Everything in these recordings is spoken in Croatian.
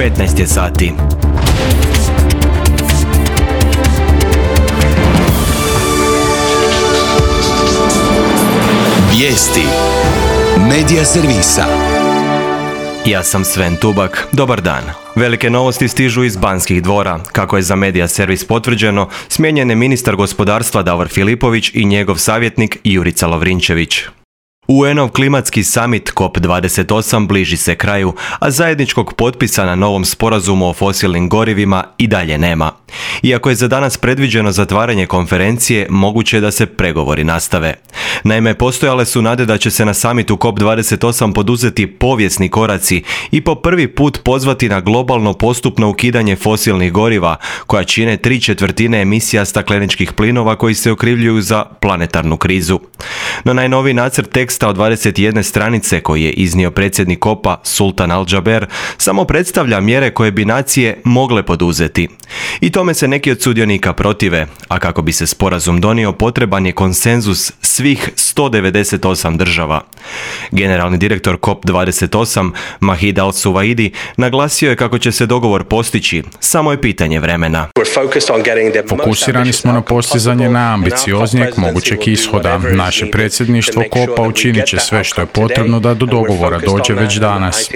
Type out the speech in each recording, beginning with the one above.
15 je sati. Vijesti Medija servisa. Ja sam Sven Tubak, dobar dan. Velike novosti stižu iz Banskih dvora. Kako je za Medija servis potvrđeno, smijenjen je ministar gospodarstva Davor Filipović i njegov savjetnik Jurica Lovrinčević. UN-ov klimatski summit COP28 bliži se kraju, a zajedničkog potpisa na novom sporazumu o fosilnim gorivima i dalje nema. Iako je za danas predviđeno zatvaranje konferencije, moguće je da se pregovori nastave. Naime, postojale su nade da će se na summitu COP28 poduzeti povijesni koraci i po prvi put pozvati na globalno postupno ukidanje fosilnih goriva, koja čine 3/4 emisija stakleničkih plinova koji se okrivljuju za planetarnu krizu. No najnoviji nacrt teksta od 21 stranice koji je iznio predsjednik COP-a Sultan Al-Jaber samo predstavlja mjere koje bi nacije mogle poduzeti. I tome se neki od sudionika protive, a kako bi se sporazum donio potreban je konsenzus svih 198 država. Generalni direktor COP28 Mahid Al-Suwaidi naglasio je kako će se dogovor postići, samo je pitanje vremena. Fokusirani smo na postizanje najambicioznijeg mogućeg ishoda. Naše predsjedništvo COP-a učinit će sve što je potrebno da do dogovora dođe već danas.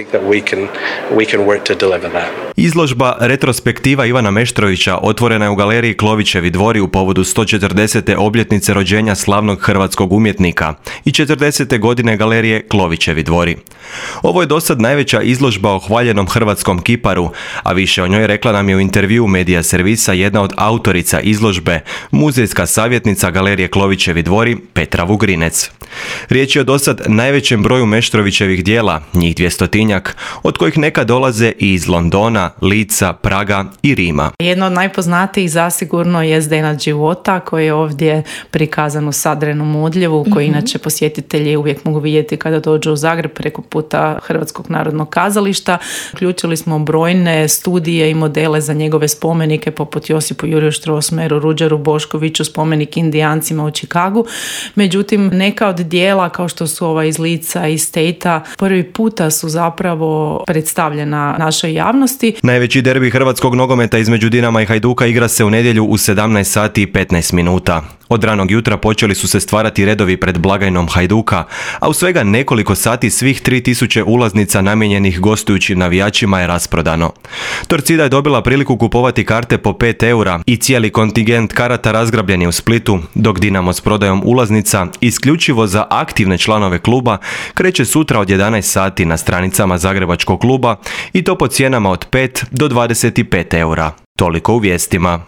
Izložba retrospektiva Ivana Meštrovića otvorena je u galeriji Klovićevi dvori u povodu 140. obljetnice rođenja slavnog hrvatskog umjetnika i 40. godine galerije Klovićevi dvori. Ovo je dosad najveća izložba o hvaljenom hrvatskom kiparu, a više o njoj rekla nam je u intervjuu Medija servisa jedna od autorica izložbe, muzejska savjetnica galerije Klovićevi dvori Petra Vugrinec. Riječ je o dosad najvećem broju Meštrovićevih dijela, njih 200-tinjak, od kojih neka dolaze i iz Londona, Lica, Praga i Rima. Jedno od najpoznatijih zasigurno je Zdenad života, koji je ovdje prikazan u Sadrenom odljevu, koji inače posjetitelji uvijek mogu vidjeti kada dođu u Zagreb preko puta Hrvatskog narodnog kazališta. Uključili smo brojne studije i modele za njegove spomenike, poput Josipu Juriju Strossmayeru, Ruđeru Boškoviću, spomenik Indijancima u Chicagu. Međutim, neka od dijela, kao što su ova iz Lica i State-a, prvi puta su zapravo predstavljena našoj javnosti. Najveći derbi hrvatskog nogometa između Dinama i Hajduka igra se u nedjelju u 17 sati i 15 minuta. Od ranog jutra počeli su se stvarati redovi pred blagajnom Hajduka, a u svega nekoliko sati svih 3000 ulaznica namijenjenih gostujućim navijačima je rasprodano. Torcida je dobila priliku kupovati karte po 5 eura i cijeli kontingent karata razgrabljen je u Splitu, dok Dinamo s prodajom ulaznica isključivo za aktivne članove kluba kreće sutra od 11 sati na stranicama Zagrebačkog kluba i to po cijenama od 5 do 25 eura. Toliko u vijestima.